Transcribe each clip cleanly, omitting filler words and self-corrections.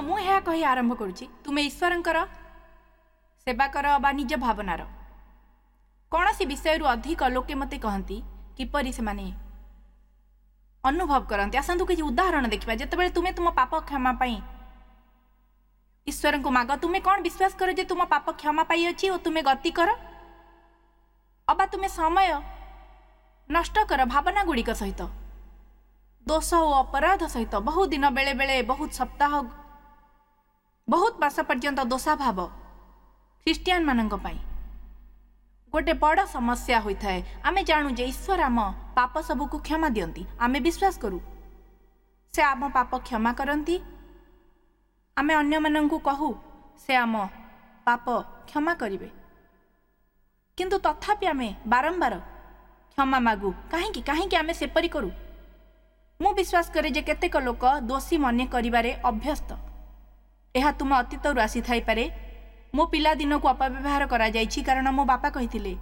ମୁଁ ଏହା କହି ଆରମ୍ଭ କରୁଛି, ତୁମେ ଈଶ୍ୱରଙ୍କର ସେବା କର ବା ନିଜ ଭାବନାର କୌଣସି ବିଷୟରୁ ଅଧିକ। ଲୋକେ ମୋତେ କହନ୍ତି କିପରି ସେମାନେ ଅନୁଭବ କରନ୍ତି। ଆସନ୍ତୁ କିଛି ଉଦାହରଣ ଦେଖିବା। ଯେତେବେଳେ ତୁମେ ତୁମ ପାପ କ୍ଷମା ପାଇଁ ଈଶ୍ୱରଙ୍କୁ ମାଗ, ତୁମେ କ'ଣ ବିଶ୍ୱାସ କର ଯେ ତୁମ ପାପ କ୍ଷମା ପାଇଅଛି ଓ ତୁମେ ଗତି କର, ଅବା ତୁମେ ସମୟ ନଷ୍ଟ କର ଭାବନା ଗୁଡ଼ିକ ସହିତ, ଦୋଷ ଓ ଅପରାଧ ସହିତ? ବହୁ ଦିନ, ବେଳେବେଳେ ବହୁତ ସପ୍ତାହ, ବହୁତ ମାସ ପର୍ଯ୍ୟନ୍ତ ଦୋଷାଭାବ ଖ୍ରୀଷ୍ଟିଆନ ମାନଙ୍କ ପାଇଁ ଗୋଟେ ବଡ଼ ସମସ୍ୟା ହୋଇଥାଏ। ଆମେ ଜାଣୁ ଯେ ଈଶ୍ୱର ଆମ ପାପ ସବୁକୁ କ୍ଷମା ଦିଅନ୍ତି। ଆମେ ବିଶ୍ୱାସ କରୁ ସେ ଆମ ପାପ କ୍ଷମା କରନ୍ତି। ଆମେ ଅନ୍ୟମାନଙ୍କୁ କହୁ ସେ ଆମ ପାପ କ୍ଷମା କରିବେ, କିନ୍ତୁ ତଥାପି ଆମେ ବାରମ୍ବାର କ୍ଷମା ମାଗୁ। କାହିଁକି? କାହିଁକି ଆମେ ସେପରି କରୁ? ମୁଁ ବିଶ୍ୱାସ କରେ ଯେ କେତେକ ଲୋକ ଦୋଷୀ ମନେ କରିବାରେ ଅଭ୍ୟସ୍ତ। ଏହା ତୁମ ଅତୀତରୁ ଆସିଥାଇପାରେ। ମୋ ପିଲାଦିନକୁ ଅପବ୍ୟବହାର କରାଯାଇଛି, କାରଣ ମୋ ବାପା କହିଥିଲେ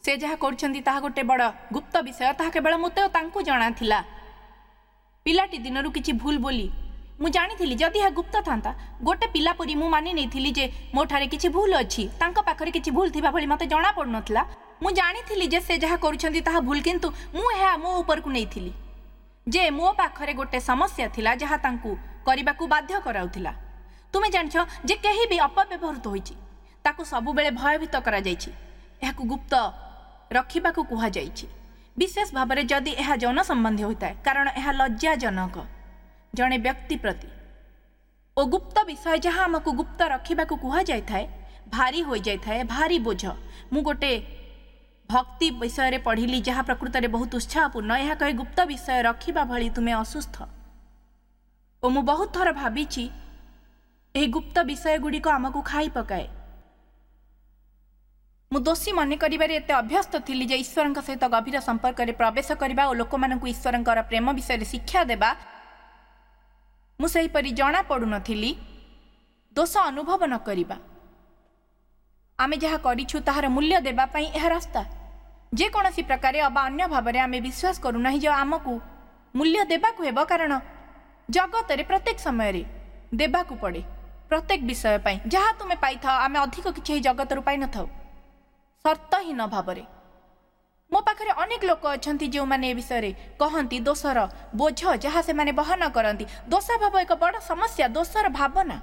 ସେ ଯାହା କରୁଛନ୍ତି ତାହା ଗୋଟେ ବଡ଼ ଗୁପ୍ତ ବିଷୟ, ତାହା କେବଳ ମୋତେ ଓ ତାଙ୍କୁ ଜଣାଥିଲା। ପିଲାଟି ଦିନରୁ କିଛି ଭୁଲ ବୋଲି ମୁଁ ଜାଣିଥିଲି। ଯଦି ଏହା ଗୁପ୍ତ ଥାନ୍ତା, ଗୋଟେ ପିଲା ପରି ମୁଁ ମାନି ନେଇଥିଲି ଯେ ମୋଠାରେ କିଛି ଭୁଲ ଅଛି। ତାଙ୍କ ପାଖରେ କିଛି ଭୁଲ ଥିବା ଭଳି ମୋତେ ଜଣା ପଡୁନଥିଲା। ମୁଁ ଜାଣିଥିଲି ଯେ ସେ ଯାହା କରୁଛନ୍ତି ତାହା ଭୁଲ, କିନ୍ତୁ ମୁଁ ଏହା ମୋ ଉପରକୁ ନେଇଥିଲି ଯେ ମୋ ପାଖରେ ଗୋଟେ ସମସ୍ୟା ଥିଲା ଯାହା ତାଙ୍କୁ କରିବାକୁ ବାଧ୍ୟ କରାଉଥିଲା। ତୁମେ ଜାଣିଛ ଯେ କେହି ବି ଅପବ୍ୟବହୃତ ହୋଇଛି, ତାକୁ ସବୁବେଳେ ଭୟଭୀତ କରାଯାଇଛି, ଏହାକୁ ଗୁପ୍ତ ରଖିବାକୁ କୁହାଯାଇଛି, ବିଶେଷ ଭାବରେ ଯଦି ଏହା ଯୌନ ସମ୍ବନ୍ଧୀୟ ହୋଇଥାଏ, କାରଣ ଏହା ଲଜ୍ଜାଜନକ ଜଣେ ବ୍ୟକ୍ତି ପ୍ରତି। ଓ ଗୁପ୍ତ ବିଷୟ ଯାହା ଆମକୁ ଗୁପ୍ତ ରଖିବାକୁ କୁହାଯାଇଥାଏ ଭାରି ହୋଇଯାଇଥାଏ, ଭାରି ବୋଝ। ମୁଁ ଗୋଟେ ଭକ୍ତି ବିଷୟରେ ପଢ଼ିଲି ଯାହା ପ୍ରକୃତରେ ବହୁତ ଉତ୍ସାହପୂର୍ଣ୍ଣ। ଏହା କହେ, ଗୁପ୍ତ ବିଷୟ ରଖିବା ଭଳି ତୁମେ ଅସୁସ୍ଥ। ଓ ମୁଁ ବହୁତ ଥର ଭାବିଛି ଏହି ଗୁପ୍ତ ବିଷୟ ଗୁଡ଼ିକ ଆମକୁ ଖାଇ ପକାଏ। ମୁଁ ଦୋଷୀ ମନେ କରିବାରେ ଏତେ ଅଭ୍ୟସ୍ତ ଥିଲି ଯେ ଈଶ୍ୱରଙ୍କ ସହିତ ଗଭୀର ସମ୍ପର୍କରେ ପ୍ରବେଶ କରିବା ଓ ଲୋକମାନଙ୍କୁ ଈଶ୍ୱରଙ୍କର ପ୍ରେମ ବିଷୟରେ ଶିକ୍ଷା ଦେବା ମୁଁ ସେହିପରି ଜଣା ପଡ଼ୁନଥିଲି। ଦୋଷ ଅନୁଭବ ନ କରିବା, ଆମେ ଯାହା କରିଛୁ ତାହାର ମୂଲ୍ୟ ଦେବା ପାଇଁ ଏହା ରାସ୍ତା। ଯେକୌଣସି ପ୍ରକାରେ ଅବା ଅନ୍ୟ ଭାବରେ ଆମେ ବିଶ୍ୱାସ କରୁନାହିଁ ଯେ ଆମକୁ ମୂଲ୍ୟ ଦେବାକୁ ହେବ, କାରଣ ଜଗତରେ ପ୍ରତ୍ୟେକ ସମୟରେ ଦେବାକୁ ପଡ଼େ ପ୍ରତ୍ୟେକ ବିଷୟ ପାଇଁ। ଯାହା ତୁମେ ପାଇଥାଅ, ଆମେ ଅଧିକ କିଛି ଏହି ଜଗତରୁ ପାଇନଥାଉ ସର୍ତ୍ତହୀନ ଭାବରେ। ମୋ ପାଖରେ ଅନେକ ଲୋକ ଅଛନ୍ତି ଯେଉଁମାନେ ଏ ବିଷୟରେ କହନ୍ତି, ଦୋଷର ବୋଝ ଯାହା ସେମାନେ ବହନ କରନ୍ତି। ଦୋଷାଭାବ ଏକ ବଡ଼ ସମସ୍ୟା, ଦୋଷର ଭାବନା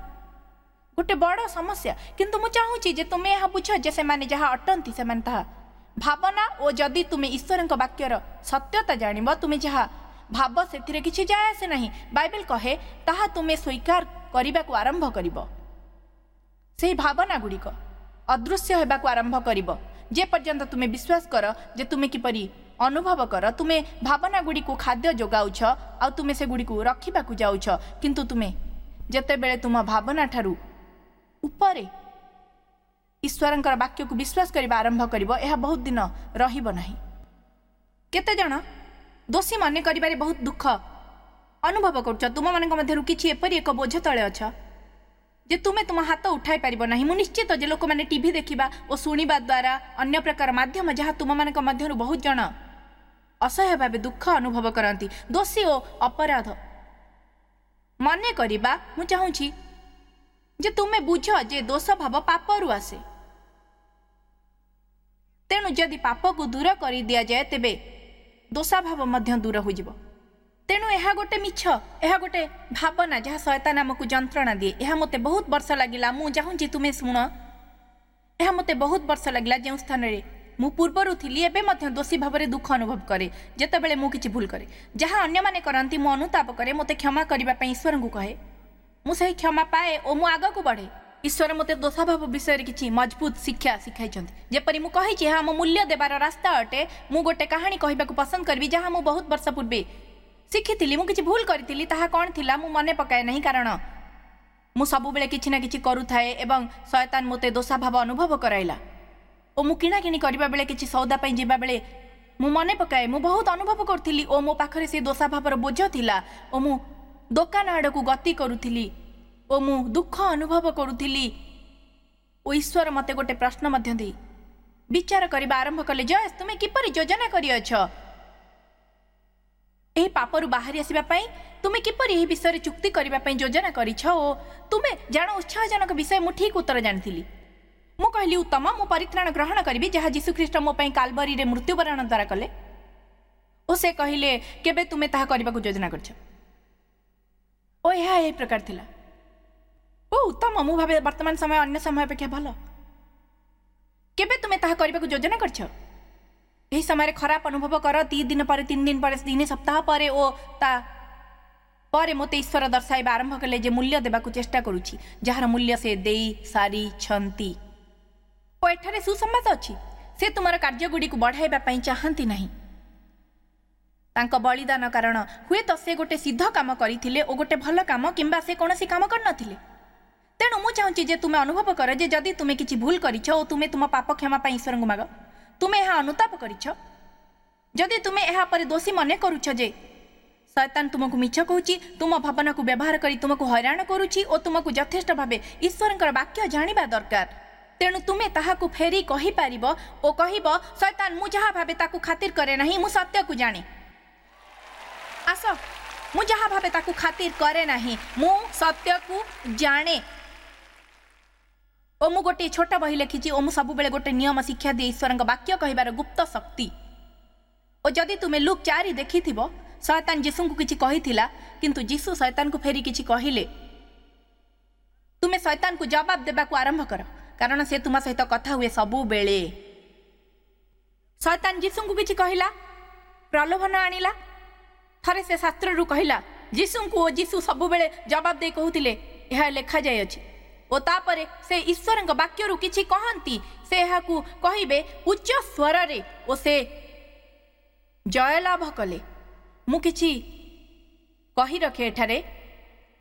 ଗୋଟେ ବଡ଼ ସମସ୍ୟା। କିନ୍ତୁ ମୁଁ ଚାହୁଁଛି ଯେ ତୁମେ ଏହା ବୁଝ ଯେ ସେମାନେ ଯାହା ଅଟନ୍ତି ସେମାନେ ତାହା ଭାବନା, ଓ ଯଦି ତୁମେ ଈଶ୍ୱରଙ୍କ ବାକ୍ୟର ସତ୍ୟତା ଜାଣିବ, ତୁମେ ଯାହା ଭାବ ସେଥିରେ କିଛି ଯାଏ ଆସେ ନାହିଁ। ବାଇବେଲ କହେ ତାହା ତୁମେ ସ୍ୱୀକାର କରିବାକୁ ଆରମ୍ଭ କରିବ, ସେହି ଭାବନା ଗୁଡ଼ିକ ଅଦୃଶ୍ୟ ହେବାକୁ ଆରମ୍ଭ କରିବ। ଯେ ପର୍ଯ୍ୟନ୍ତ ତୁମେ ବିଶ୍ୱାସ କର ଯେ ତୁମେ କିପରି ଅନୁଭବ କର, ତୁମେ ଭାବନା ଗୁଡ଼ିକୁ ଖାଦ୍ୟ ଯୋଗାଉଛ ଆଉ ତୁମେ ସେଗୁଡ଼ିକୁ ରଖିବାକୁ ଯାଉଛ। କିନ୍ତୁ ତୁମେ ଯେତେବେଳେ ତୁମ ଭାବନା ଠାରୁ ଉପରେ ଈଶ୍ୱରଙ୍କର ବାକ୍ୟକୁ ବିଶ୍ୱାସ କରିବା ଆରମ୍ଭ କରିବ, ଏହା ବହୁତ ଦିନ ରହିବ ନାହିଁ। କେତେଜଣ ଦୋଷୀ ମନେ କରିବାରେ ବହୁତ ଦୁଃଖ ଅନୁଭବ କରୁଛ? ତୁମମାନଙ୍କ ମଧ୍ୟରୁ କିଛି ଏପରି ଏକ ବୋଝ ତଳେ ଅଛ ଯେ ତୁମେ ତୁମ ହାତ ଉଠାଇ ପାରିବ ନାହିଁ। ମୁଁ ନିଶ୍ଚିତ ଯେ ଲୋକମାନେ ଟିଭି ଦେଖିବା ଓ ଶୁଣିବା ଦ୍ୱାରା ଅନ୍ୟ ପ୍ରକାର ମାଧ୍ୟମ ଯାହା ତୁମମାନଙ୍କ ମଧ୍ୟରୁ ବହୁତ ଜଣ ଅସହ୍ୟ ଭାବେ ଦୁଃଖ ଅନୁଭବ କରନ୍ତି, ଦୋଷୀ ଓ ଅପରାଧ ମନେ କରିବା। ମୁଁ ଚାହୁଁଛି ଯେ ତୁମେ ବୁଝ ଯେ ଦୋଷ ଭାବ ପାପରୁ ଆସେ। ତେଣୁ ଯଦି ପାପକୁ ଦୂର କରିଦିଆଯାଏ ତେବେ ଦୋଷାଭାବ ମଧ୍ୟ ଦୂର ହୋଇଯିବ। ତେଣୁ ଏହା ଗୋଟେ ମିଛ, ଏହା ଗୋଟେ ଭାବନା ଯାହା ଶୟତାନ ଆମକୁ ଯନ୍ତ୍ରଣା ଦିଏ। ଏହା ମୋତେ ବହୁତ ବର୍ଷ ଲାଗିଲା। ମୁଁ ଚାହୁଁଛି ତୁମେ ଶୁଣ, ଏହା ମୋତେ ବହୁତ ବର୍ଷ ଲାଗିଲା। ଯେଉଁ ସ୍ଥାନରେ ମୁଁ ପୂର୍ବରୁ ଥିଲି ଏବେ ମଧ୍ୟ ଦୋଷୀ ଭାବରେ ଦୁଃଖ ଅନୁଭବ କରେ ଯେତେବେଳେ ମୁଁ କିଛି ଭୁଲ କରେ। ଯାହା ଅନ୍ୟମାନେ କରନ୍ତି ମୁଁ ଅନୁତାପ କରେ, ମୋତେ କ୍ଷମା କରିବା ପାଇଁ ଈଶ୍ୱରଙ୍କୁ କହେ, ମୁଁ ସେହି କ୍ଷମା ପାଏ ଓ ମୁଁ ଆଗକୁ ବଢ଼େ। ଈଶ୍ୱର ମୋତେ ଦୋଷାଭାବ ବିଷୟରେ କିଛି ମଜବୁତ ଶିକ୍ଷା ଶିଖାଇଛନ୍ତି। ଯେପରି ମୁଁ କହିଛି, ଏହା ଆମ ମୂଲ୍ୟ ଦେବାର ରାସ୍ତା ଅଟେ। ମୁଁ ଗୋଟେ କାହାଣୀ କହିବାକୁ ପସନ୍ଦ କରିବି ଯାହା ମୁଁ ବହୁତ ବର୍ଷ ପୂର୍ବେ ଶିଖିଥିଲି। ମୁଁ କିଛି ଭୁଲ କରିଥିଲି, ତାହା କ'ଣ ଥିଲା ମୁଁ ମନେ ପକାଏ ନାହିଁ, କାରଣ ମୁଁ ସବୁବେଳେ କିଛି ନା କିଛି କରୁଥାଏ ଏବଂ ଶୟତାନ ମୋତେ ଦୋଷାଭାବ ଅନୁଭବ କରାଇଲା। ଓ ମୁଁ କିଣାକିଣି କରିବା ବେଳେ, କିଛି ସଉଦା ପାଇଁ ଯିବାବେଳେ ମୁଁ ମନେ ପକାଏ ମୁଁ ବହୁତ ଅନୁଭବ କରୁଥିଲି ଓ ମୋ ପାଖରେ ସେ ଦୋଷାଭାବର ବୋଝ ଥିଲା ଓ ମୁଁ ଦୋକାନ ଆଡ଼କୁ ଗତି କରୁଥିଲି ଓ ମୁଁ ଦୁଃଖ ଅନୁଭବ କରୁଥିଲି। ଓ ଈଶ୍ୱର ମୋତେ ଗୋଟେ ପ୍ରଶ୍ନ ମଧ୍ୟ ଦେଇ ବିଚାର କରିବା ଆରମ୍ଭ କଲେ, ଜୟେଶ, ତୁମେ କିପରି ଯୋଜନା କରିଅଛ ଏହି ପାପରୁ ବାହାରି ଆସିବା ପାଇଁ? ତୁମେ କିପରି ଏହି ବିଷୟରେ ଚୁକ୍ତି କରିବା ପାଇଁ ଯୋଜନା କରିଛ? ଓ ତୁମେ ଜାଣ, ଉତ୍ସାହଜନକ ବିଷୟ, ମୁଁ ଠିକ୍ ଉତ୍ତର ଜାଣିଥିଲି। ମୁଁ କହିଲି, ଉତ୍ତମ, ମୁଁ ପରିତ୍ରାଣ ଗ୍ରହଣ କରିବି ଯାହା ଯୀଶୁଖ୍ରୀଷ୍ଟ ମୋ ପାଇଁ କାଲବରୀରେ ମୃତ୍ୟୁବରଣ ଦ୍ୱାରା କଲେ। ଓ ସେ କହିଲେ, କେବେ ତୁମେ ତାହା କରିବାକୁ ଯୋଜନା କରିଛ? ଓ ଏହା ଏହି ପ୍ରକାର ଥିଲା। ଓ ଉତ୍ତମ, ମୁଁ ଭାବେ ବର୍ତ୍ତମାନ ସମୟ ଅନ୍ୟ ସମୟ ଅପେକ୍ଷା ଭଲ। କେବେ ତୁମେ ତାହା କରିବାକୁ ଯୋଜନା କରିଛ? ଏହି ସମୟରେ ଖରାପ ଅନୁଭବ କର, 3 ଦିନ ପରେ, 3 ଦିନ ପରେ, 3 ସପ୍ତାହ ପରେ। ଓ ତା ପରେ ମୋତେ ଈଶ୍ୱର ଦର୍ଶାଇବା ଆରମ୍ଭ କଲେ ଯେ ମୂଲ୍ୟ ଦେବାକୁ ଚେଷ୍ଟା କରୁଛି ଯାହାର ମୂଲ୍ୟ ସେ ଦେଇ ସାରିଛନ୍ତି। ଓ ଏଠାରେ ସୁସମ୍ବାଦ ଅଛି, ସେ ତୁମର କାର୍ଯ୍ୟଗୁଡ଼ିକୁ ବଢ଼ାଇବା ପାଇଁ ଚାହାନ୍ତି ନାହିଁ। ତାଙ୍କ ବଳିଦାନ କାରଣ ହୁଏତ ସେ ଗୋଟେ ସିଦ୍ଧ କାମ କରିଥିଲେ ଓ ଗୋଟେ ଭଲ କାମ, କିମ୍ବା ସେ କୌଣସି କାମ କରିନଥିଲେ। ତେଣୁ ମୁଁ ଚାହୁଁଛି ଯେ ତୁମେ ଅନୁଭବ କର ଯେ ଯଦି ତୁମେ କିଛି ଭୁଲ କରିଛ ଓ ତୁମେ ତୁମ ପାପ କ୍ଷମା ପାଇଁ ଈଶ୍ୱରଙ୍କୁ ମାଗ, ତୁମେ ଏହା ଅନୁତାପ କରିଛ, ଯଦି ତୁମେ ଏହା ପରେ ଦୋଷୀ ମନେ କରୁଛ ଯେ ଶୟତାନ ତୁମକୁ ମିଛ କହୁଛି, ତୁମ ଭାବନାକୁ ବ୍ୟବହାର କରି ତୁମକୁ ହଇରାଣ କରୁଛି, ଓ ତୁମକୁ ଯଥେଷ୍ଟ ଭାବେ ଈଶ୍ୱରଙ୍କର ବାକ୍ୟ ଜାଣିବା ଦରକାର, ତେଣୁ ତୁମେ ତାହାକୁ ଫେରି କହିପାରିବ ଓ କହିବ, ଶୟତାନ, ମୁଁ ଯାହା ଭାବେ ତାକୁ ଖାତିର କରେ ନାହିଁ, ମୁଁ ସତ୍ୟକୁ ଜାଣେ। ଆସ, ମୁଁ ଯାହା ଭାବେ ତାକୁ ଖାତିର କରେ ନାହିଁ, ମୁଁ ସତ୍ୟକୁ ଜାଣେ। ଓ ମୁଁ ଗୋଟିଏ ଛୋଟ ବହି ଲେଖିଛି ଓ ମୁଁ ସବୁବେଳେ ଗୋଟେ ନିୟମ ଶିକ୍ଷା ଦିଏ, ଈଶ୍ୱରଙ୍କ ବାକ୍ୟ କହିବାର ଗୁପ୍ତ ଶକ୍ତି। ଓ ଯଦି ତୁମେ ଲୁକ୍ 4 ଦେଖିଥିବ, ଶୟତାନ ଯୀଶୁଙ୍କୁ କିଛି କହିଥିଲା, କିନ୍ତୁ ଯୀଶୁ ଶୟତାନକୁ ଫେରି କିଛି କହିଲେ। ତୁମେ ଶୟତାନକୁ ଜବାବ ଦେବାକୁ ଆରମ୍ଭ କର, କାରଣ ସେ ତୁମ ସହିତ କଥା ହୁଏ ସବୁବେଳେ। ଶୟତାନ ଯୀଶୁଙ୍କୁ କିଛି କହିଲା, ପ୍ରଲୋଭନ ଆଣିଲା। ଥରେ ସେ ଶାସ୍ତ୍ରରୁ କହିଲା ଯୀଶୁଙ୍କୁ, ଓ ଯୀଶୁ ସବୁବେଳେ ଜବାବ ଦେଇ କହୁଥିଲେ, ଏହା ଲେଖାଯାଇଅଛି। ଓ ତାପରେ ସେ ଈଶ୍ୱରଙ୍କ ବାକ୍ୟରୁ କିଛି କହନ୍ତି, ସେ ଏହାକୁ କହିବେ ଉଚ୍ଚ ସ୍ୱରରେ ଓ ସେ ଜୟଲାଭ କଲେ। ମୁଁ କିଛି କହି ରଖେ, ଏଠାରେ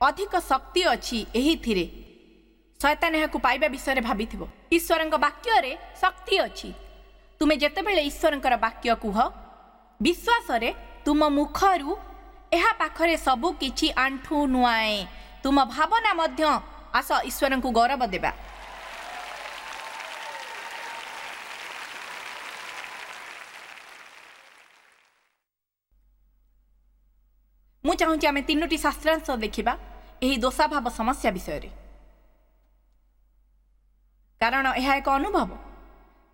ଅଧିକ ଶକ୍ତି ଅଛି ଏହିଥିରେ। ଶୟତାନ ଏହାକୁ ପାଇବା ବିଷୟରେ ଭାବିଥିବ। ଈଶ୍ୱରଙ୍କ ବାକ୍ୟରେ ଶକ୍ତି ଅଛି। ତୁମେ ଯେତେବେଳେ ଈଶ୍ୱରଙ୍କର ବାକ୍ୟ କୁହ ବିଶ୍ୱାସରେ, ତୁମ ମୁଖରୁ ଏହା ପାଖରେ ସବୁ କିଛି ଆଣ୍ଠୁ ନୁଆଁଏ, ତୁମ ଭାବନା ମଧ୍ୟ। ଆସ ଈଶ୍ୱରଙ୍କୁ ଗୌରବ ଦେବା। ମୁଁ ଚାହୁଁଛି ଆମେ 3ଟି ଶାସ୍ତ୍ରାଂଶ ଦେଖିବା ଏହି ଦୋଷାଭାବ ସମସ୍ୟା ବିଷୟରେ, କାରଣ ଏହା ଏକ ଅନୁଭବ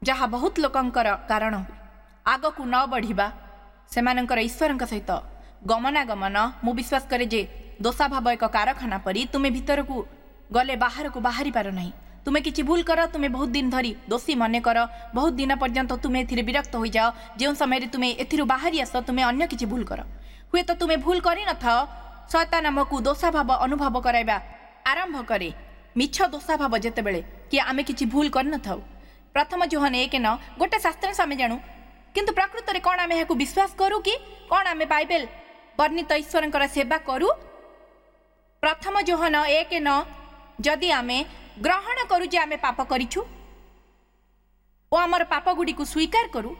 ଯାହା ବହୁତ ଲୋକଙ୍କର କାରଣ ହୁଏ ଆଗକୁ ନ ବଢ଼ିବା, ସେମାନଙ୍କର ଈଶ୍ୱରଙ୍କ ସହିତ ଗମନାଗମନ। ମୁଁ ବିଶ୍ୱାସ କରେ ଯେ ଦୋଷାଭାବ ଏକ କାରଖାନା ପରି, ତୁମେ ଭିତରକୁ ଗଲେ ବାହାରକୁ ବାହାରି ପାର ନାହିଁ। ତୁମେ କିଛି ଭୁଲ କର, ତୁମେ ବହୁତ ଦିନ ଧରି ଦୋଷୀ ମନେ କର, ବହୁତ ଦିନ ପର୍ଯ୍ୟନ୍ତ ତୁମେ ଏଥିରେ ବିରକ୍ତ ହୋଇଯାଅ। ଯେଉଁ ସମୟରେ ତୁମେ ଏଥିରୁ ବାହାରି ଆସ, ତୁମେ ଅନ୍ୟ କିଛି ଭୁଲ କର। ହୁଏତ ତୁମେ ଭୁଲ କରିନଥାଅ, ଶୟତାନ ଆମକୁ ଦୋଷାଭାବ ଅନୁଭବ କରାଇବା ଆରମ୍ଭ କରେ, ମିଛ ଦୋଷାଭାବ, ଯେତେବେଳେ କି ଆମେ କିଛି ଭୁଲ କରିନଥାଉ। ପ୍ରଥମ ଯୋହନ 1:9 ଗୋଟେ ଶାସ୍ତ୍ରାଂଶ ଆମେ ଜାଣୁ, କିନ୍ତୁ ପ୍ରକୃତରେ କ'ଣ ଆମେ ଏହାକୁ ବିଶ୍ୱାସ କରୁ କି? କ'ଣ ଆମେ ବାଇବେଲ ବର୍ଣ୍ଣିତ ଈଶ୍ୱରଙ୍କର ସେବା କରୁ? ପ୍ରଥମ ଯୋହନ 1:9, ଯଦି ଆମେ ଗ୍ରହଣ କରୁ ଯେ ଆମେ ପାପ କରିଛୁ ଓ ଆମର ପାପ ଗୁଡ଼ିକୁ ସ୍ୱୀକାର କରୁ,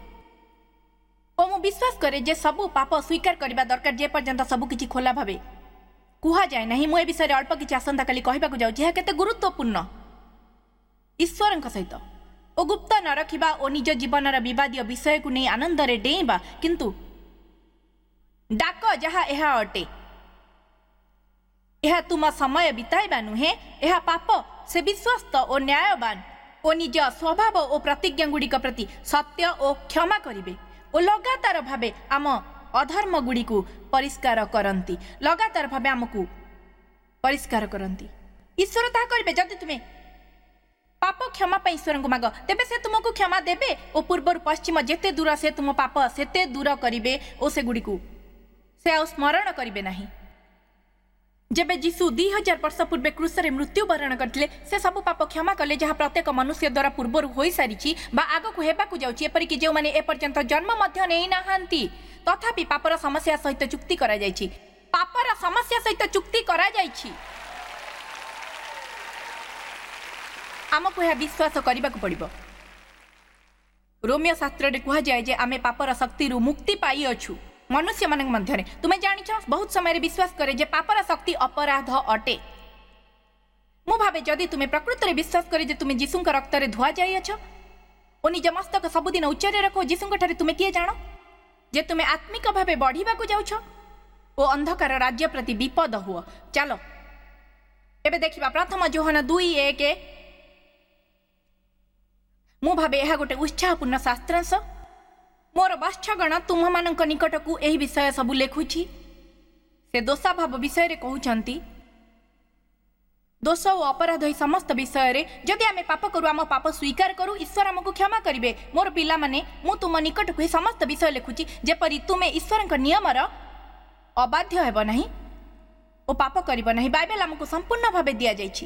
ଓ ମୁଁ ବିଶ୍ୱାସ କରେ ଯେ ସବୁ ପାପ ସ୍ୱୀକାର କରିବା ଦରକାର ଯେପର୍ଯ୍ୟନ୍ତ ସବୁ କିଛି ଖୋଲା ଭାବେ କୁହାଯାଏ ନାହିଁ। ମୁଁ ଏ ବିଷୟରେ ଅଳ୍ପ କିଛି ଆସନ୍ତାକାଲି କହିବାକୁ ଯାଉଛି, ଏହା କେତେ ଗୁରୁତ୍ୱପୂର୍ଣ୍ଣ ଈଶ୍ୱରଙ୍କ ସହିତ ଓ ଗୁପ୍ତ ନ ରଖିବା ଓ ନିଜ ଜୀବନର ବିବାଦୀୟ ବିଷୟକୁ ନେଇ ଆନନ୍ଦରେ ଡେଇଁବା, କିନ୍ତୁ ଡାକ ଯାହା ଏହା ଅଟେ, ଏହା ତୁମ ସମୟ ବିତାଇବା ନୁହେଁ, ଏହା ପାପ। ସେ ବିଶ୍ୱସ୍ତ ଓ ନ୍ୟାୟବାନ ଓ ନିଜ ସ୍ୱଭାବ ଓ ପ୍ରତିଜ୍ଞା ଗୁଡ଼ିକ ପ୍ରତି ସତ୍ୟ ଓ କ୍ଷମା କରିବେ ଓ ଲଗାତାର ଭାବେ ଆମ ଅଧର୍ମ ଗୁଡ଼ିକୁ ପରିଷ୍କାର କରନ୍ତି, ଲଗାତାର ଭାବେ ଆମକୁ ପରିଷ୍କାର କରନ୍ତି। ଈଶ୍ୱର ତାହା କରିବେ। ଯଦି ତୁମେ ପାପ କ୍ଷମା ପାଇଁ ଈଶ୍ୱରଙ୍କୁ ମାଗ, ତେବେ ସେ ତୁମକୁ କ୍ଷମା ଦେବେ ଓ ପୂର୍ବରୁ ପଶ୍ଚିମ ଯେତେ ଦୂର, ସେ ତୁମ ପାପ ସେତେ ଦୂର କରିବେ ଓ ସେଗୁଡ଼ିକୁ ସେ ଆଉ ସ୍ମରଣ କରିବେ ନାହିଁ। ଯେବେ ଯୀଶୁ 2000 ବର୍ଷ ପୂର୍ବେ କ୍ରୁଶରେ ମୃତ୍ୟୁବରଣ କରିଥିଲେ, ସେ ସବୁ ପାପ କ୍ଷମା କଲେ ଯାହା ପ୍ରତ୍ୟେକ ମନୁଷ୍ୟ ଦ୍ୱାରା ପୂର୍ବରୁ ହୋଇସାରିଛି ବା ଆଗକୁ ହେବାକୁ ଯାଉଛି, ଏପରିକି ଯେଉଁମାନେ ଏପର୍ଯ୍ୟନ୍ତ ଜନ୍ମ ମଧ୍ୟ ନେଇନାହାନ୍ତି। ତଥାପି ପାପର ସମସ୍ୟା ସହିତ ଚୁକ୍ତି କରାଯାଇଛି, ପାପର ସମସ୍ୟା ସହିତ ଚୁକ୍ତି କରାଯାଇଛି। ଆମକୁ ଏହା ବିଶ୍ୱାସ କରିବାକୁ ପଡ଼ିବ। ରୋମିଓ ଶାସ୍ତ୍ରରେ କୁହାଯାଏ ଯେ ଆମେ ପାପର ଶକ୍ତିରୁ ମୁକ୍ତି ପାଇଅଛୁ ମନୁଷ୍ୟମାନଙ୍କ ମଧ୍ୟରେ। ତୁମେ ଜାଣିଛ, ବହୁତ ସମୟରେ ବିଶ୍ୱାସ କରେ ଯେ ପାପର ଶକ୍ତି ଅପରାଧ ଅଟେ। ମୁଁ ଭାବେ ଯଦି ତୁମେ ପ୍ରକୃତରେ ବିଶ୍ୱାସ କରେ ଯେ ତୁମେ ଯୀଶୁଙ୍କ ରକ୍ତରେ ଧୁଆ ଯାଇଅଛ ଓ ନିଜ ମସ୍ତକ ସବୁଦିନ ଉଚ୍ଚରେ ରଖ, ଯୀଶୁଙ୍କ ଠାରେ ତୁମେ କିଏ ଜାଣ ଯେ ତୁମେ ଆତ୍ମିକ ଭାବେ ବଢ଼ିବାକୁ ଯାଉଛ। ଓ ଅନ୍ଧକାର ରାଜ୍ୟ ପ୍ରତି ବିପଦ ହୁଅ। ଚାଲ ଏବେ ଦେଖିବା ପ୍ରଥମ ଯୋହନ 2:1। ମୁଁ ଭାବେ ଏହା ଗୋଟେ ଉତ୍ସାହପୂର୍ଣ୍ଣ ଶାସ୍ତ୍ରାଂଶ। ମୋର ବାତ୍ସଗଣ, ତୁମ୍ଭମାନଙ୍କ ନିକଟକୁ ଏହି ବିଷୟ ସବୁ ଲେଖୁଛି। ସେ ଦୋଷାଭାବ ବିଷୟରେ କହୁଛନ୍ତି, ଦୋଷ ଓ ଅପରାଧ ଏହି ସମସ୍ତ ବିଷୟରେ। ଯଦି ଆମେ ପାପ କରୁ, ଆମ ପାପ ସ୍ୱୀକାର କରୁ, ଈଶ୍ୱର ଆମକୁ କ୍ଷମା କରିବେ। ମୋର ପିଲାମାନେ, ମୁଁ ତୁମ ନିକଟକୁ ଏହି ସମସ୍ତ ବିଷୟ ଲେଖୁଛି, ଯେପରି ତୁମେ ଈଶ୍ୱରଙ୍କ ନିୟମର ଅବାଧ୍ୟ ହେବ ନାହିଁ ଓ ପାପ କରିବ ନାହିଁ। ବାଇବେଲ ଆମକୁ ସମ୍ପୂର୍ଣ୍ଣ ଭାବେ ଦିଆଯାଇଛି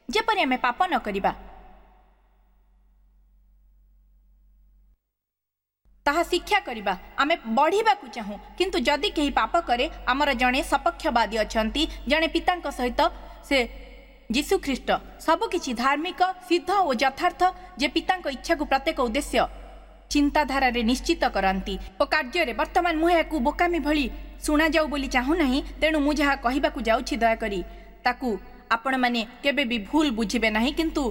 ଯେପରି ଆମେ ପାପ ନ କରିବା, ତାହା ଶିକ୍ଷା କରିବା। ଆମେ ବଢ଼ିବାକୁ ଚାହୁଁ, କିନ୍ତୁ ଯଦି କେହି ପାପ କରେ, ଆମର ଜଣେ ସପକ୍ଷବାଦୀ ଅଛନ୍ତି, ଜଣେ ପିତାଙ୍କ ସହିତ, ସେ ଯୀଶୁ ଖ୍ରୀଷ୍ଟ। ସବୁକିଛି ଧାର୍ମିକ, ସିଦ୍ଧ ଓ ଯଥାର୍ଥ, ଯେ ପିତାଙ୍କ ଇଚ୍ଛାକୁ ପ୍ରତ୍ୟେକ ଉଦ୍ଦେଶ୍ୟ ଚିନ୍ତାଧାରାରେ ନିଶ୍ଚିତ କରନ୍ତି ଓ କାର୍ଯ୍ୟରେ। ବର୍ତ୍ତମାନ ମୁଁ ଏହାକୁ ବୋକାମି ଭଳି ଶୁଣାଯାଉ ବୋଲି ଚାହୁଁନାହିଁ, ତେଣୁ ମୁଁ ଯାହା କହିବାକୁ ଯାଉଛି ଦୟାକରି ତାକୁ ଆପଣମାନେ କେବେ ବି ଭୁଲ ବୁଝିବେ ନାହିଁ। କିନ୍ତୁ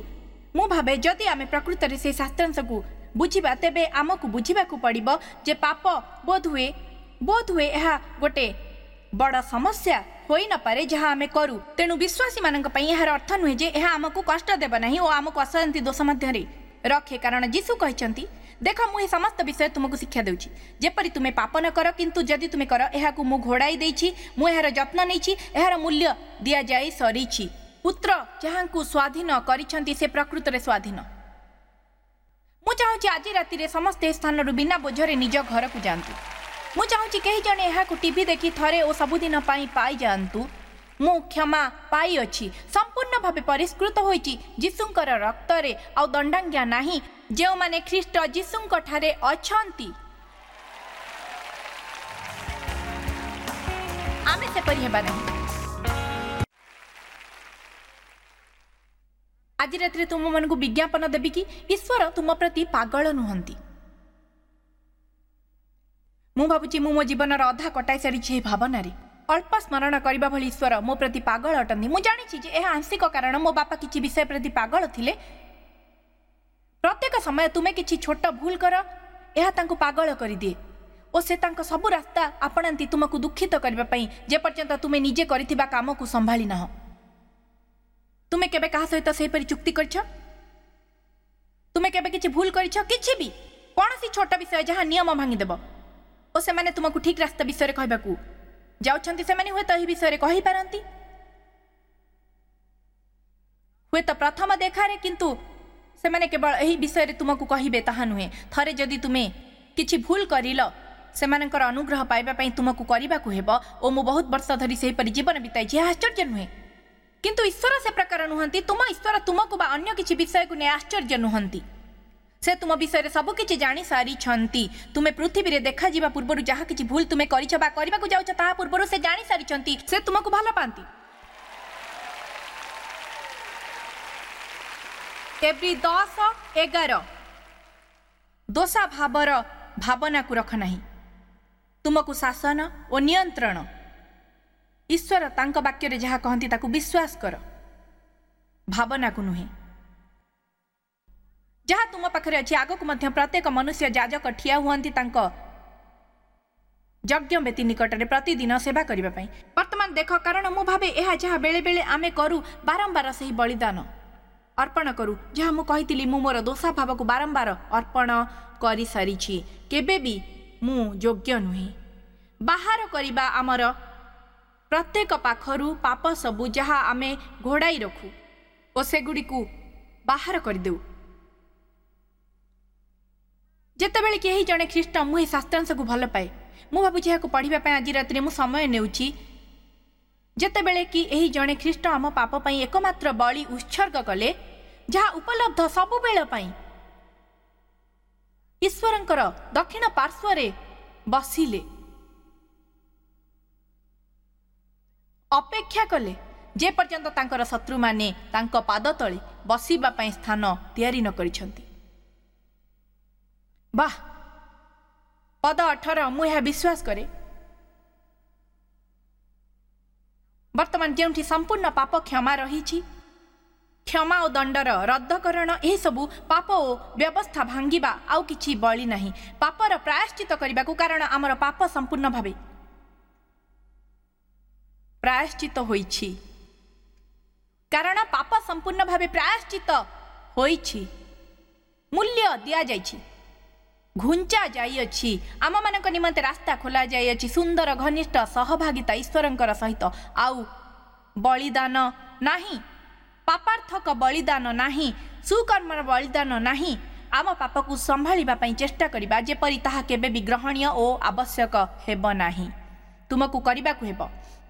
ମୁଁ ଭାବେ ଯଦି ଆମେ ପ୍ରକୃତରେ ସେହି ଶାସ୍ତ୍ରାଂଶକୁ ବୁଝିବା, ତେବେ ଆମକୁ ବୁଝିବାକୁ ପଡ଼ିବ ଯେ ପାପ ବୋଧହୁଏ ଏହା ଗୋଟେ ବଡ଼ ସମସ୍ୟା ହୋଇନପାରେ ଯାହା ଆମେ କରୁ। ତେଣୁ ବିଶ୍ୱାସୀମାନଙ୍କ ପାଇଁ ଏହାର ଅର୍ଥ ନୁହେଁ ଯେ ଏହା ଆମକୁ କଷ୍ଟ ଦେବ ନାହିଁ ଓ ଆମକୁ ଅଶାନ୍ତି ଦୋଷ ମଧ୍ୟରେ ରଖେ, କାରଣ ଯୀଶୁ କହିଛନ୍ତି, ଦେଖ, ମୁଁ ଏହି ସମସ୍ତ ବିଷୟ ତୁମକୁ ଶିକ୍ଷା ଦେଉଛି ଯେପରି ତୁମେ ପାପ ନ କର, କିନ୍ତୁ ଯଦି ତୁମେ କର, ଏହାକୁ ମୁଁ ଘୋଡ଼ାଇ ଦେଇଛି, ମୁଁ ଏହାର ଯତ୍ନ ନେଇଛି, ଏହାର ମୂଲ୍ୟ ଦିଆଯାଇ ସରିଛି। ପୁତ୍ର ଯାହାଙ୍କୁ ସ୍ୱାଧୀନ କରିଛନ୍ତି ସେ ପ୍ରକୃତରେ ସ୍ୱାଧୀନ। ମୁଁ ଚାହୁଁଛି ଆଜି ରାତିରେ ସମସ୍ତେ ଏ ସ୍ଥାନରୁ ବିନା ବୋଝରେ ନିଜ ଘରକୁ ଯାଆନ୍ତୁ। ମୁଁ ଚାହୁଁଛି କେହି ଜଣେ ଏହାକୁ ଟିଭି ଦେଖି ଥରେ ଓ ସବୁଦିନ ପାଇଁ ପାଇଯାଆନ୍ତୁ। ମୁଁ କ୍ଷମା ପାଇଅଛି, ସମ୍ପୂର୍ଣ୍ଣ ଭାବେ ପରିଷ୍କୃତ ହୋଇଛି ଯୀଶୁଙ୍କର ରକ୍ତରେ, ଆଉ ଦଣ୍ଡାଜ୍ଞା ନାହିଁ ଯେଉଁମାନେ ଖ୍ରୀଷ୍ଟ ଯୀଶୁଙ୍କ ଠାରେ ଅଛନ୍ତି। ଆମେ ସେପରି ହେବା ନାହିଁ। ଆଜି ରାତିରେ ତୁମମାନଙ୍କୁ ବିଜ୍ଞାପନ ଦେବି କି ଈଶ୍ୱର ତୁମ ପ୍ରତି ପାଗଳ ନୁହନ୍ତି। ମୁଁ ଭାବୁଛି ମୁଁ ମୋ ଜୀବନର ଅଧା କଟାଇ ସାରିଛି ଏହି ଭାବନାରେ। ଅଳ୍ପ ସ୍ମରଣ କରିବା ଭଳି ଈଶ୍ୱର ମୋ ପ୍ରତି ପାଗଳ ଅଟନ୍ତି। ମୁଁ ଜାଣିଛି ଯେ ଏହା ଆଂଶିକ କାରଣ ମୋ ବାପା କିଛି ବିଷୟ ପ୍ରତି ପାଗଳ ଥିଲେ। ପ୍ରତ୍ୟେକ ସମୟ ତୁମେ କିଛି ଛୋଟ ଭୁଲ କର, ଏହା ତାଙ୍କୁ ପାଗଳ କରିଦିଏ ଓ ସେ ତାଙ୍କ ସବୁ ରାସ୍ତା ଆପଣାନ୍ତି ତୁମକୁ ଦୁଃଖିତ କରିବା ପାଇଁ, ଯେପର୍ଯ୍ୟନ୍ତ ତୁମେ ନିଜେ କରିଥିବା କାମକୁ ସମ୍ଭାଳି ନାହଁ। ତୁମେ କେବେ କାହା ସହିତ ସେହିପରି ଚୁକ୍ତି କରିଛ? ତୁମେ କେବେ କିଛି ଭୁଲ କରିଛ? କିଛି ବି, କୌଣସି ଛୋଟ ବିଷୟ ଯାହା ନିୟମ ଭାଙ୍ଗିଦେବ ଓ ସେମାନେ ତୁମକୁ ଠିକ୍ ରାସ୍ତା ବିଷୟରେ କହିବାକୁ ଯାଉଛନ୍ତି। ସେମାନେ ହୁଏତ ଏହି ବିଷୟରେ କହିପାରନ୍ତି, ହୁଏତ ପ୍ରଥମ ଦେଖାରେ, କିନ୍ତୁ ସେମାନେ କେବଳ ଏହି ବିଷୟରେ ତୁମକୁ କହିବେ ତାହା ନୁହେଁ। ଥରେ ଯଦି ତୁମେ କିଛି ଭୁଲ କରିଲ, ସେମାନଙ୍କର ଅନୁଗ୍ରହ ପାଇବା ପାଇଁ ତୁମକୁ କରିବାକୁ ହେବ। ଓ ମୁଁ ବହୁତ ବର୍ଷ ଧରି ସେହିପରି ଜୀବନ ବିତାଇଛି। ଏହା ଆଶ୍ଚର୍ଯ୍ୟ ନୁହେଁ, କିନ୍ତୁ ଈଶ୍ୱର ସେ ପ୍ରକାର ନୁହନ୍ତି। ତୁମ ଈଶ୍ୱର ତୁମକୁ ବା ଅନ୍ୟ କିଛି ବିଷୟକୁ ନେଇ ଆଶ୍ଚର୍ଯ୍ୟ ନୁହନ୍ତି। ସେ ତୁମ ବିଷୟରେ ସବୁକିଛି ଜାଣି ସାରିଛନ୍ତି। ତୁମେ ପୃଥିବୀରେ ଦେଖାଯିବା ପୂର୍ବରୁ ଯାହା କିଛି ଭୁଲ ତୁମେ କରିଛ ବା କରିବାକୁ ଯାଉଛ, ତାହା ପୂର୍ବରୁ ସେ ଜାଣି ସାରିଛନ୍ତି। ସେ ତୁମକୁ ଭଲ ପାଆନ୍ତି। ଏବ୍ରୀ 10:11। ଦୋଷାଭାବର ଭାବନାକୁ ରଖ ନାହିଁ, ତୁମକୁ ଶାସନ ଓ ନିୟନ୍ତ୍ରଣ। ଈଶ୍ୱର ତାଙ୍କ ବାକ୍ୟରେ ଯାହା କହନ୍ତି ତାକୁ ବିଶ୍ୱାସ କର, ଭାବନାକୁ ନୁହେଁ। ଯାହା ତୁମ ପାଖରେ ଅଛି। ଆଗକୁ ମଧ୍ୟ ପ୍ରତ୍ୟେକ ମନୁଷ୍ୟ ଯାଜକ ଠିଆ ହୁଅନ୍ତି ତାଙ୍କ ଯଜ୍ଞ ବେଦୀ ନିକଟରେ ପ୍ରତିଦିନ ସେବା କରିବା ପାଇଁ। ବର୍ତ୍ତମାନ ଦେଖ, କାରଣ ମୁଁ ଭାବେ ଏହା ଯାହା ବେଳେବେଳେ ଆମେ କରୁ, ବାରମ୍ବାର ସେହି ବଳିଦାନ ଅର୍ପଣ କରୁ, ଯାହା ମୁଁ କହିଥିଲି ମୁଁ ମୋର ଦୋଷାଭାବକୁ ବାରମ୍ବାର ଅର୍ପଣ କରିସାରିଛି, କେବେ ବି ମୁଁ ଯୋଗ୍ୟ ନୁହେଁ। ବାହାର କରିବା ଆମର ପ୍ରତ୍ୟେକ ପାଖରୁ ପାପ ସବୁ ଯାହା ଆମେ ଘୋଡ଼ାଇ ରଖୁ ଓ ସେଗୁଡ଼ିକୁ ବାହାର କରିଦେଉ। ଯେତେବେଳେ କେହି ଜଣେ ଖ୍ରୀଷ୍ଟ, ମୁଁ ଏହି ଶାସ୍ତ୍ରାଂଶକୁ ଭଲ ପାଏ, ମୁଁ ଭାବୁଛି ଏହାକୁ ପଢ଼ିବା ପାଇଁ ଆଜି ରାତିରେ ମୁଁ ସମୟ ନେଉଛି। ଯେତେବେଳେ କି ଏହି ଜଣେ ଖ୍ରୀଷ୍ଟ ଆମ ପାପ ପାଇଁ ଏକମାତ୍ର ବଳି ଉତ୍ସର୍ଗ କଲେ, ଯାହା ଉପଲବ୍ଧ ସବୁବେଳ ପାଇଁ, ଈଶ୍ୱରଙ୍କର ଦକ୍ଷିଣ ପାର୍ଶ୍ୱରେ ବସିଲେ, ଅପେକ୍ଷା କଲେ ଯେପର୍ଯ୍ୟନ୍ତ ତାଙ୍କର ଶତ୍ରୁମାନେ ତାଙ୍କ ପାଦ ତଳେ ବସିବା ପାଇଁ ସ୍ଥାନ ତିଆରି ନ କରିଛନ୍ତି। ବାহ! ପଦ 18, ମୁଁ ଏହା ବିଶ୍ୱାସ କରେ। ବର୍ତ୍ତମାନ ଯେଉଁଠି ସମ୍ପୂର୍ଣ୍ଣ ପାପ କ୍ଷମା ରହିଛି, କ୍ଷମା ଓ ଦଣ୍ଡର ରଦ୍ଦକରଣ, ଏହିସବୁ ପାପ ଓ ବ୍ୟବସ୍ଥା ଭାଙ୍ଗିବା ଆଉ କିଛି ବଳି ନାହିଁ ପାପର ପ୍ରାୟଶ୍ଚିତ କରିବାକୁ, କାରଣ ଆମର ପାପ ସମ୍ପୂର୍ଣ୍ଣ ଭାବେ ପ୍ରାୟଶ୍ଚିତ ହୋଇଛି, କାରଣ ପାପ ସମ୍ପୂର୍ଣ୍ଣ ଭାବେ ପ୍ରାୟଶ୍ଚିତ ହୋଇଛି, ମୂଲ୍ୟ ଦିଆଯାଇଛି, ଘୁଞ୍ଚା ଯାଇଅଛି, ଆମମାନଙ୍କ ନିମନ୍ତେ ରାସ୍ତା ଖୋଲା ଯାଇଅଛି, ସୁନ୍ଦର ଘନିଷ୍ଠ ସହଭାଗିତା ଈଶ୍ୱରଙ୍କର ସହିତ। ଆଉ ବଳିଦାନ ନାହିଁ, ପାପାର୍ଥକ ବଳିଦାନ ନାହିଁ, ସୁକର୍ମର ବଳିଦାନ ନାହିଁ। ଆମ ପାପକୁ ସମ୍ଭାଳିବା ପାଇଁ ଚେଷ୍ଟା କରିବା ଯେପରି ତାହା କେବେ ବି ଗ୍ରହଣୀୟ ଓ ଆବଶ୍ୟକ ହେବ ନାହିଁ। ତୁମକୁ କରିବାକୁ ହେବ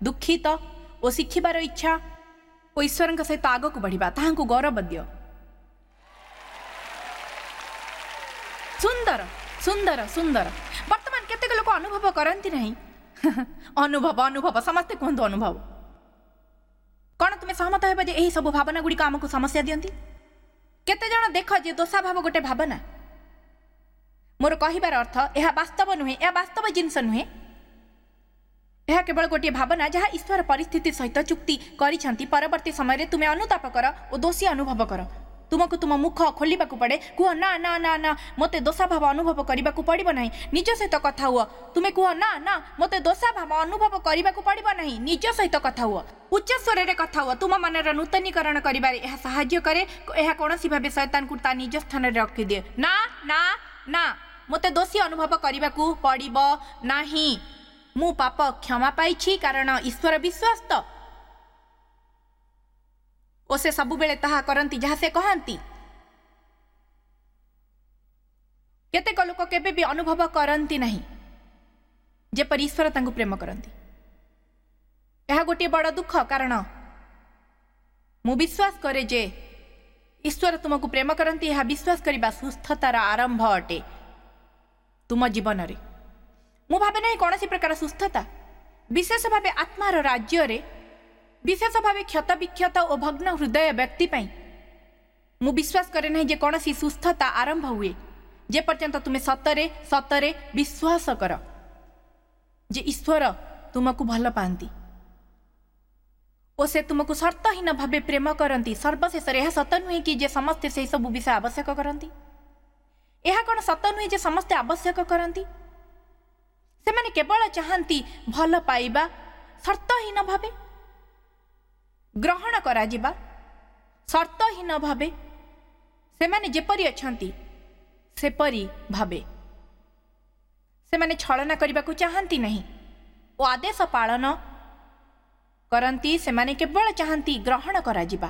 ଦୁଃଖିତ ଓ ଶିଖିବାର ଇଚ୍ଛା ଓ ଈଶ୍ୱରଙ୍କ ସହିତ ଆଗକୁ ବଢ଼ିବା। ତାହାଙ୍କୁ ଗୌରବ ଦିଅ। ସୁନ୍ଦର, ସୁନ୍ଦର, ସୁନ୍ଦର। ବର୍ତ୍ତମାନ କେତେକ ଲୋକ ଅନୁଭବ କରନ୍ତି ନାହିଁ। ଅନୁଭବ, ଅନୁଭବ, ସମସ୍ତେ କୁହନ୍ତୁ ଅନୁଭବ। କ'ଣ ତୁମେ ସହମତ ହେବ ଯେ ଏହି ସବୁ ଭାବନା ଗୁଡ଼ିକ ଆମକୁ ସମସ୍ୟା ଦିଅନ୍ତି? କେତେଜଣ ଦେଖ ଯେ ଦୋଷାଭାବ ଗୋଟେ ଭାବନା? ମୋର କହିବାର ଅର୍ଥ ଏହା ବାସ୍ତବ ନୁହେଁ, ଏହା ବାସ୍ତବ ଜିନିଷ ନୁହେଁ, ଏହା କେବଳ ଗୋଟିଏ ଭାବନା ଯାହା ଈଶ୍ୱର ପରିସ୍ଥିତି ସହିତ ଚୁକ୍ତି କରିଛନ୍ତି। ପରବର୍ତ୍ତୀ ସମୟରେ ତୁମେ ଅନୁତାପ କର ଓ ଦୋଷୀ ଅନୁଭବ କର। ତୁମକୁ ତୁମ ମୁଖ ଖୋଲିବାକୁ ପଡ଼େ। କୁହ ନା ନା ନା ନା, ମୋତେ ଦୋଷାଭାବ ଅନୁଭବ କରିବାକୁ ପଡ଼ିବ ନାହିଁ। ନିଜ ସହିତ କଥା ହୁଅ। ତୁମେ କୁହ ନା ନା, ମୋତେ ଦୋଷାଭାବ ଅନୁଭବ କରିବାକୁ ପଡ଼ିବ ନାହିଁ। ନିଜ ସହିତ କଥା ହୁଅ, ଉଚ୍ଚ ସ୍ୱରରେ କଥା ହୁଅ। ତୁମ ମନର ନୂତନୀକରଣ କରିବାରେ ଏହା ସାହାଯ୍ୟ କରେ। ଏହା କୌଣସି ଭାବେ ଶୟତାନକୁ ତା ନିଜ ସ୍ଥାନରେ ରଖିଦିଏ। ନା ନା ନା, ମୋତେ ଦୋଷୀ ଅନୁଭବ କରିବାକୁ ପଡ଼ିବ ନାହିଁ। ମୁଁ ପାପ କ୍ଷମା ପାଇଛି, କାରଣ ଈଶ୍ୱର ବିଶ୍ୱସ୍ତ ଓ ସେ ସବୁବେଳେ ତାହା କରନ୍ତି ଯାହା ସେ କହନ୍ତି। କେତେକ ଲୋକ କେବେ ବି ଅନୁଭବ କରନ୍ତି ନାହିଁ ଯେପରି ଈଶ୍ୱର ତାଙ୍କୁ ପ୍ରେମ କରନ୍ତି। ଏହା ଗୋଟିଏ ବଡ଼ ଦୁଃଖ, କାରଣ ମୁଁ ବିଶ୍ୱାସ କରେ ଯେ ଈଶ୍ୱର ତୁମକୁ ପ୍ରେମ କରନ୍ତି। ଏହା ବିଶ୍ୱାସ କରିବା ସୁସ୍ଥତାର ଆରମ୍ଭ ଅଟେ ତୁମ ଜୀବନରେ। ମୁଁ ଭାବେ ନାହିଁ କୌଣସି ପ୍ରକାର ସୁସ୍ଥତା, ବିଶେଷ ଭାବେ ଆତ୍ମାର ରାଜ୍ୟରେ, ବିଶେଷ ଭାବେ କ୍ଷତବିକ୍ଷତ ଓ ଭଗ୍ନ ହୃଦୟ ବ୍ୟକ୍ତି ପାଇଁ। ମୁଁ ବିଶ୍ୱାସ କରେ ନାହିଁ ଯେ କୌଣସି ସୁସ୍ଥତା ଆରମ୍ଭ ହୁଏ ଯେପର୍ଯ୍ୟନ୍ତ ତୁମେ ସତରେ ସତରେ ବିଶ୍ୱାସ କର ଯେ ଈଶ୍ୱର ତୁମକୁ ଭଲ ପାଆନ୍ତି ଓ ସେ ତୁମକୁ ସର୍ତ୍ତହୀନ ଭାବେ ପ୍ରେମ କରନ୍ତି। ସର୍ବଶେଷରେ ଏହା ସତ ନୁହେଁ କି ଯେ ସମସ୍ତେ ସେହି ସବୁ ବିଷୟ ଆବଶ୍ୟକ କରନ୍ତି? ଏହା କ'ଣ ସତ ନୁହେଁ ଯେ ସମସ୍ତେ ଆବଶ୍ୟକ କରନ୍ତି? ସେମାନେ କେବଳ ଚାହାନ୍ତି ଭଲ ପାଇବା, ସର୍ତ୍ତହୀନ ଭାବେ ଗ୍ରହଣ କରାଯିବା, ସର୍ତ୍ତହୀନ ଭାବେ, ସେମାନେ ଯେପରି ଅଛନ୍ତି ସେପରି ଭାବେ। ସେମାନେ ଛଳନା କରିବାକୁ ଚାହାନ୍ତି ନାହିଁ ଓ ଆଦେଶ ପାଳନ କରନ୍ତି। ସେମାନେ କେବଳ ଚାହାନ୍ତି ଗ୍ରହଣ କରାଯିବା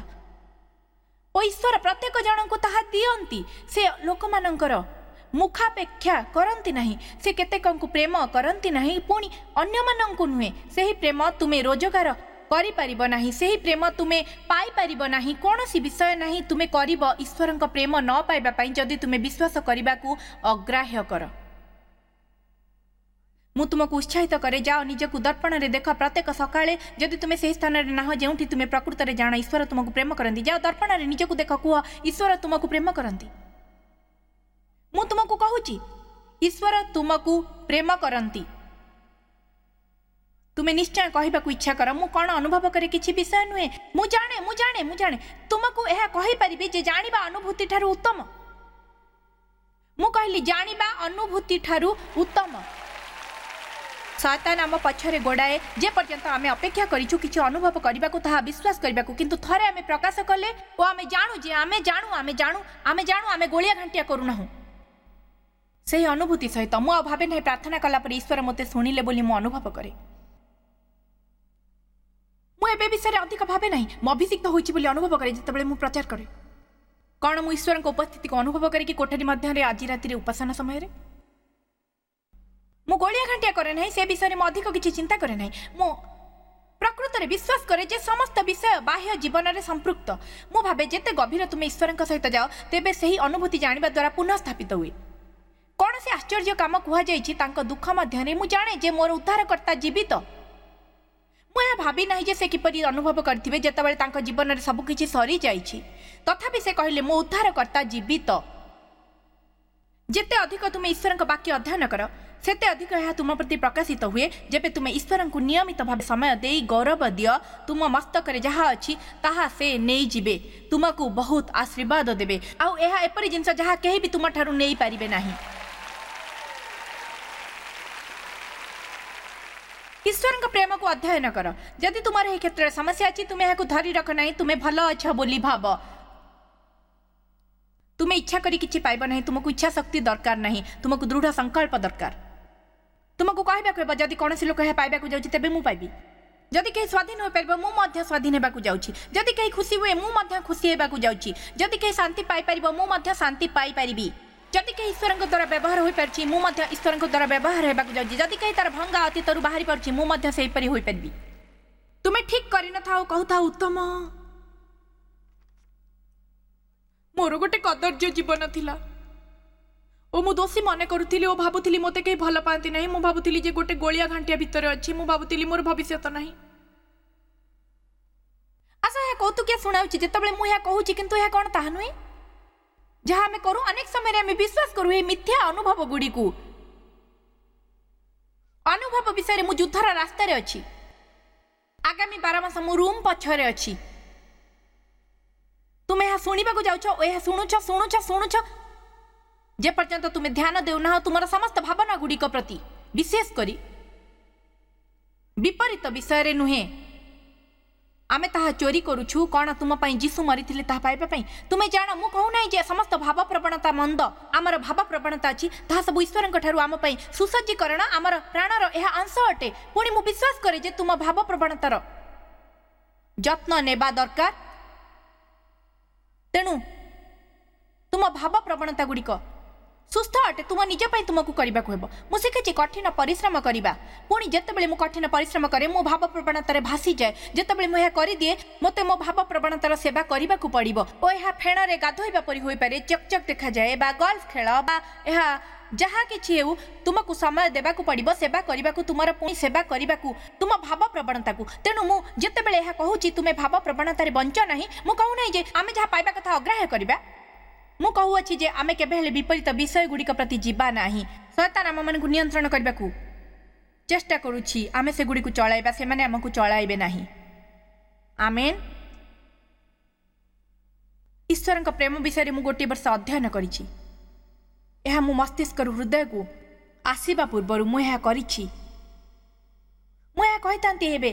ଓ ଈଶ୍ୱର ପ୍ରତ୍ୟେକ ଜଣଙ୍କୁ ତାହା ଦିଅନ୍ତି। ସେ ଲୋକମାନଙ୍କର ମୁଖାପେକ୍ଷା କରନ୍ତି ନାହିଁ। ସେ କେତେକଙ୍କୁ ପ୍ରେମ କରନ୍ତି ନାହିଁ, ପୁଣି ଅନ୍ୟମାନଙ୍କୁ ନୁହେଁ। ସେହି ପ୍ରେମ ତୁମେ ରୋଜଗାର କରିପାରିବ ନାହିଁ, ସେହି ପ୍ରେମ ତୁମେ ପାଇପାରିବ ନାହିଁ। କୌଣସି ବିଷୟ ନାହିଁ ତୁମେ କରିବ ଈଶ୍ୱରଙ୍କ ପ୍ରେମ ନ ପାଇବା ପାଇଁ ଯଦି ତୁମେ ବିଶ୍ୱାସ କରିବାକୁ ଅଗ୍ରାହ୍ୟ କର। ମୁଁ ତୁମକୁ ଉତ୍ସାହିତ କରେ, ଯାଅ ନିଜକୁ ଦର୍ପଣରେ ଦେଖ ପ୍ରତ୍ୟେକ ସକାଳେ। ଯଦି ତୁମେ ସେହି ସ୍ଥାନରେ ନାହ ଯେଉଁଠି ତୁମେ ପ୍ରକୃତରେ ଜାଣ ଈଶ୍ୱର ତୁମକୁ ପ୍ରେମ କରନ୍ତି, ଯାଅ ଦର୍ପଣରେ ନିଜକୁ ଦେଖ, କୁହ ଈଶ୍ୱର ତୁମକୁ ପ୍ରେମ କରନ୍ତି। ମୁଁ ତୁମକୁ କହୁଛି, ଈଶ୍ୱର ତୁମକୁ ପ୍ରେମ କରନ୍ତି। ତୁମେ ନିଶ୍ଚୟ କହିବାକୁ ଇଚ୍ଛା କର, ମୁଁ କ'ଣ ଅନୁଭବ କରେ କିଛି ବିଷୟ ନୁହେଁ। ମୁଁ ଜାଣେ, ମୁଁ ଜାଣେ, ମୁଁ ଜାଣେ। ତୁମକୁ ଏହା କହିପାରିବି ଯେ ଜାଣିବା ଅନୁଭୂତି ଠାରୁ ଉତ୍ତମ। ମୁଁ କହିଲି ଜାଣିବା ଅନୁଭୂତି ଠାରୁ ଉତ୍ତମ। ଶୟତାନ ଆମ ପଛରେ ଗୋଡ଼ାଏ ଯେ ପର୍ଯ୍ୟନ୍ତ ଆମେ ଅପେକ୍ଷା କରିଛୁ କିଛି ଅନୁଭବ କରିବାକୁ, ତାହା ବିଶ୍ୱାସ କରିବାକୁ। କିନ୍ତୁ ଥରେ ଆମେ ପ୍ରକାଶ କଲେ ଓ ଆମେ ଜାଣୁ ଯେ ଆମେ ଜାଣୁ, ଆମେ ଜାଣୁ, ଆମେ ଜାଣୁ, ଆମେ ଗୋଳିଆ ଘାଣ୍ଟିଆ କରୁନାହୁଁ। ସେହି ଅନୁଭୂତି ସହିତ ମୁଁ ଆଉ ଭାବେ ନାହିଁ ପ୍ରାର୍ଥନା କଲା ପରେ ଈଶ୍ୱର ମୋତେ ଶୁଣିଲେ ବୋଲି ମୁଁ ଅନୁଭବ କରେ। ମୁଁ ଏବେ ବିଷୟରେ ଅଧିକ ଭାବେ ନାହିଁ। ମୁଁ ଅଭିଷିକ୍ତ ହୋଇଛି ବୋଲି ଅନୁଭବ କରେ ଯେତେବେଳେ ମୁଁ ପ୍ରଚାର କରେ। କ'ଣ ମୁଁ ଈଶ୍ୱରଙ୍କ ଉପସ୍ଥିତିକୁ ଅନୁଭବ କରେ କି କୋଠରୀ ମଧ୍ୟରେ ଆଜି ରାତିରେ ଉପାସନା ସମୟରେ? ମୁଁ ଗୋଳିଆ ଘାଣ୍ଟିଆ କରେ ନାହିଁ, ସେ ବିଷୟରେ ମୁଁ ଅଧିକ କିଛି ଚିନ୍ତା କରେ ନାହିଁ। ମୁଁ ପ୍ରକୃତରେ ବିଶ୍ୱାସ କରେ ଯେ ସମସ୍ତ ବିଷୟ ବାହ୍ୟ ଜୀବନରେ ସମ୍ପୃକ୍ତ। ମୁଁ ଭାବେ ଯେତେ ଗଭୀର ତୁମେ ଈଶ୍ୱରଙ୍କ ସହିତ ଯାଅ, ତେବେ ସେହି ଅନୁଭୂତି ଜାଣିବା ଦ୍ୱାରା ପୁନଃ ସ୍ଥାପିତ ହୁଏ। କୌଣସି ଆଶ୍ଚର୍ଯ୍ୟ କାମ କୁହାଯାଇଛି ତାଙ୍କ ଦୁଃଖ ମଧ୍ୟରେ। ମୁଁ ଜାଣେ ଯେ ମୋର ଉଦ୍ଧାରକର୍ତ୍ତା ଜୀବିତ। ମୁଁ ଏହା ଭାବି ନାହିଁ ଯେ ସେ କିପରି ଅନୁଭବ କରିଥିବେ ଯେତେବେଳେ ତାଙ୍କ ଜୀବନରେ ସବୁକିଛି ସରିଯାଇଛି। ତଥାପି ସେ କହିଲେ, ମୋ ଉଦ୍ଧାରକର୍ତ୍ତା ଜୀବିତ। ଯେତେ ଅଧିକ ତୁମେ ଈଶ୍ୱରଙ୍କ ବାକ୍ୟ ଅଧ୍ୟୟନ କର, ସେତେ ଅଧିକ ଏହା ତୁମ ପ୍ରତି ପ୍ରକାଶିତ ହୁଏ। ଯେବେ ତୁମେ ଈଶ୍ୱରଙ୍କୁ ନିୟମିତ ଭାବେ ସମୟ ଦେଇ ଗୌରବ ଦିଅ, ତୁମ ମସ୍ତକରେ ଯାହା ଅଛି ତାହା ସେ ନେଇଯିବେ, ତୁମକୁ ବହୁତ ଆଶୀର୍ବାଦ ଦେବେ। ଆଉ ଏହା ଏପରି ଜିନିଷ ଯାହା କେହି ବି ତୁମଠାରୁ ନେଇପାରିବେ ନାହିଁ। ଈଶ୍ୱରଙ୍କ ପ୍ରେମକୁ ଅଧ୍ୟୟନ କର। ଯଦି ତୁମର ଏହି କ୍ଷେତ୍ରରେ ସମସ୍ୟା ଅଛି, ତୁମେ ଏହାକୁ ଧରି ରଖ ନାହିଁ। ତୁମେ ଭଲ ଅଛ ବୋଲି ଭାବ। ତୁମେ ଇଚ୍ଛା କରି କିଛି ପାଇବ ନାହିଁ। ତୁମକୁ ଇଚ୍ଛା ଶକ୍ତି ଦରକାର ନାହିଁ, ତୁମକୁ ଦୃଢ଼ ସଂକଳ୍ପ ଦରକାର। ତୁମକୁ କହିବାକୁ ହେବ, ଯଦି କୌଣସି ଲୋକ ଏହା ପାଇବାକୁ ଯାଉଛି ତେବେ ମୁଁ ପାଇବି। ଯଦି କେହି ସ୍ୱାଧୀନ ହୋଇପାରିବ, ମୁଁ ମଧ୍ୟ ସ୍ୱାଧୀନ ହେବାକୁ ଯାଉଛି। ଯଦି କେହି ଖୁସି ହୁଏ, ମୁଁ ମଧ୍ୟ ଖୁସି ହେବାକୁ ଯାଉଛି। ଯଦି କେହି ଶାନ୍ତି ପାଇପାରିବ, ମୁଁ ମଧ୍ୟ ଶାନ୍ତି ପାଇପାରିବି। ଯଦି କେହି ଈଶ୍ୱରଙ୍କ ଦ୍ୱାରା ବ୍ୟବହାର ହୋଇପାରୁଛି, ମୁଁ ମଧ୍ୟ ଈଶ୍ୱରଙ୍କ ଦ୍ୱାରା ବ୍ୟବହାର ହେବାକୁ ଯାଉଛି। ଯଦି କେହି ତାର ଭଙ୍ଗା ଅତୀତରୁ ବାହାରି ପାରୁଛି, ମୁଁ ମଧ୍ୟ ସେହିପରି ହୋଇପାରିବି। ତୁମେ ଠିକ୍ କରିନଥାଅ, କହୁଥାଅ ଉତ୍ତମ, ମୋର ଗୋଟେ କଦର୍ଯ୍ୟ ଜୀବନ ଥିଲା ଓ ମୁଁ ଦୋଷୀ ମନେ କରୁଥିଲି ଓ ଭାବୁଥିଲି ମୋତେ କେହି ଭଲ ପାଆନ୍ତି ନାହିଁ। ମୁଁ ଭାବୁଥିଲି ଯେ ଗୋଟେ ଗୋଳିଆ ଘାଣ୍ଟିଆ ଭିତରେ ଅଛି। ମୁଁ ଭାବୁଥିଲି ମୋର ଭବିଷ୍ୟତ ନାହିଁ। ଆଶା, ଏହା କୌତୁକିଆ ଶୁଣାଉଛି ଯେତେବେଳେ ମୁଁ ଏହା କହୁଛି, କିନ୍ତୁ ଏହା କ'ଣ ତାହା ନୁହେଁ ଯାହା ଆମେ କରୁ? ଅନେକ ସମୟରେ ଆମେ ବିଶ୍ୱାସ କରୁ ଏହି ମିଥ୍ୟା ଅନୁଭବ ଗୁଡ଼ିକୁ। ଅନୁଭବ ବିଷୟରେ ମୁଁ ଯୁଦ୍ଧର ରାସ୍ତାରେ ଅଛି। ଆଗାମୀ 12 ମାସ ମୁଁ ରୁମ୍ ପଛରେ ଅଛି। ତୁମେ ଏହା ଶୁଣିବାକୁ ଯାଉଛ ଓ ଏହା ଶୁଣୁଛ, ଶୁଣୁଛ, ଶୁଣୁଛ, ଯେପର୍ଯ୍ୟନ୍ତ ତୁମେ ଧ୍ୟାନ ଦେଉନାହ ତୁମର ସମସ୍ତ ଭାବନା ଗୁଡ଼ିକ ପ୍ରତି, ବିଶେଷ କରି ବିପରୀତ ବିଷୟରେ ନୁହେଁ। ଆମେ ତାହା ଚୋରି କରୁଛୁ। କ'ଣ ତୁମ ପାଇଁ ଯୀଶୁ ମରିଥିଲେ ତାହା ପାଇବା ପାଇଁ? ତୁମେ ଜାଣ, ମୁଁ କହୁନାହିଁ ଯେ ସମସ୍ତ ଭାବପ୍ରବଣତା ମନ୍ଦ। ଆମର ଭାବପ୍ରବଣତା ଅଛି, ତାହା ସବୁ ଈଶ୍ୱରଙ୍କ ଠାରୁ ଆମ ପାଇଁ ସୁସଜ୍ଜୀକରଣ, ଆମର ପ୍ରାଣର ଏହା ଅଂଶ ଅଟେ। ପୁଣି ମୁଁ ବିଶ୍ୱାସ କରେ ଯେ ତୁମ ଭାବପ୍ରବଣତାର ଯତ୍ନ ନେବା ଦରକାର। ତେଣୁ ତୁମ ଭାବପ୍ରବଣତା ଗୁଡ଼ିକ ସୁସ୍ଥ ଅଟେ, ତୁମ ନିଜ ପାଇଁ ତୁମକୁ କରିବାକୁ ହେବ। ମୁଁ ଶିଖିଛି କଠିନ ପରିଶ୍ରମ କରିବା। ପୁଣି ଯେତେବେଳେ ମୁଁ କଠିନ ପରିଶ୍ରମ କରେ, ମୁଁ ଭାବପ୍ରବଣତାରେ ଭାସିଯାଏ। ଯେତେବେଳେ ମୁଁ ଏହା କରିଦିଏ, ମୋତେ ମୋ ଭାବପ୍ରବଣତାର ସେବା କରିବାକୁ ପଡ଼ିବ ଓ ଏହା ଫେଣରେ ଗାଧୋଇବା ପରି ହୋଇପାରେ, ଚକଚକ୍ ଦେଖାଯାଏ, ବା ଗଲ୍ଫ ଖେଳ, ବା ଏହା ଯାହା କିଛି ହେଉ, ତୁମକୁ ସମୟ ଦେବାକୁ ପଡ଼ିବ ସେବା କରିବାକୁ, ତୁମର ପୁଣି ସେବା କରିବାକୁ ତୁମ ଭାବପ୍ରବଣତାକୁ। ତେଣୁ ମୁଁ ଯେତେବେଳେ ଏହା କହୁଛି ତୁମେ ଭାବପ୍ରବଣତାରେ ବଞ୍ଚ ନାହିଁ, ମୁଁ କହୁନାହିଁ ଯେ ଆମେ ଯାହା ପାଇବା କଥା ଅଗ୍ରାହ୍ୟ କରିବା। ମୁଁ କହୁଅଛି ଯେ ଆମେ କେବେ ହେଲେ ବିପରୀତ ବିଷୟ ଗୁଡ଼ିକ ପ୍ରତି ଯିବା ନାହିଁ। ଶୟତାନ ଆମମାନଙ୍କୁ ନିୟନ୍ତ୍ରଣ କରିବାକୁ ଚେଷ୍ଟା କରୁଛି। ଆମେ ସେଗୁଡ଼ିକୁ ଚଳାଇବା, ସେମାନେ ଆମକୁ ଚଳାଇବେ ନାହିଁ। ଆମେନ୍। ଈଶ୍ୱରଙ୍କ ପ୍ରେମ ବିଷୟରେ ମୁଁ ଗୋଟିଏ ବର୍ଷ ଅଧ୍ୟୟନ କରିଛି। ଏହା ମୁଁ ମସ୍ତିଷ୍କରୁ ହୃଦୟକୁ ଆସିବା ପୂର୍ବରୁ ମୁଁ ଏହା କରିଛି। ମୁଁ ଏହା କହିଥାନ୍ତି ଏବେ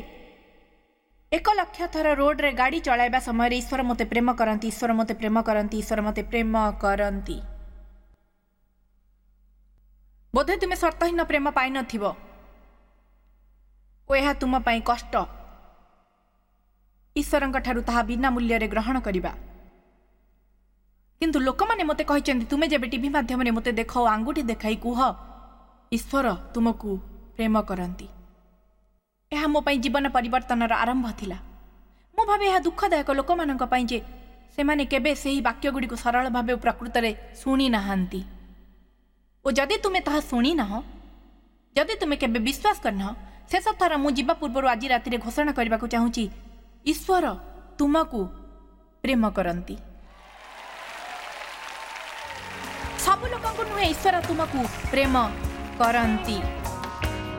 1 ଲକ୍ଷ ଥର ରୋଡରେ ଗାଡ଼ି ଚଳାଇବା ସମୟରେ, ଈଶ୍ୱର ମୋତେ ପ୍ରେମ କରନ୍ତି, ଈଶ୍ୱର ମୋତେ ପ୍ରେମ କରନ୍ତି, ଈଶ୍ୱର ମୋତେ ପ୍ରେମ କରନ୍ତି। ବୋଧେ ତୁମେ ସର୍ତ୍ତହୀନ ପ୍ରେମ ପାଇନଥିବ ଓ ଏହା ତୁମ ପାଇଁ କଷ୍ଟ ଈଶ୍ୱରଙ୍କ ଠାରୁ ତାହା ବିନା ମୂଲ୍ୟରେ ଗ୍ରହଣ କରିବା। କିନ୍ତୁ ଲୋକମାନେ ମୋତେ କହିଛନ୍ତି, ତୁମେ ଯେବେ ଟିଭି ମାଧ୍ୟମରେ ମୋତେ ଦେଖ ଓ ଆଙ୍ଗୁଠି ଦେଖାଇ କୁହ ଈଶ୍ୱର ତୁମକୁ ପ୍ରେମ କରନ୍ତି, ଏହା ମୋ ପାଇଁ ଜୀବନ ପରିବର୍ତ୍ତନର ଆରମ୍ଭ ଥିଲା। ମୁଁ ଭାବେ ଏହା ଦୁଃଖଦାୟକ ଲୋକମାନଙ୍କ ପାଇଁ ଯେ ସେମାନେ କେବେ ସେହି ବାକ୍ୟଗୁଡ଼ିକୁ ସରଳ ଭାବେ ପ୍ରକୃତରେ ଶୁଣି ନାହାନ୍ତି। ଓ ଯଦି ତୁମେ ତାହା ଶୁଣିନାହ, ଯଦି ତୁମେ କେବେ ବିଶ୍ୱାସ କରିନାହ, ଶେଷ ଥର ମୁଁ ଯିବା ପୂର୍ବରୁ ଆଜି ରାତିରେ ଘୋଷଣା କରିବାକୁ ଚାହୁଁଛି, ଈଶ୍ୱର ତୁମକୁ ପ୍ରେମ କରନ୍ତି। ସବୁ ଲୋକଙ୍କୁ ନୁହେଁ, ଈଶ୍ୱର ତୁମକୁ ପ୍ରେମ କରନ୍ତି।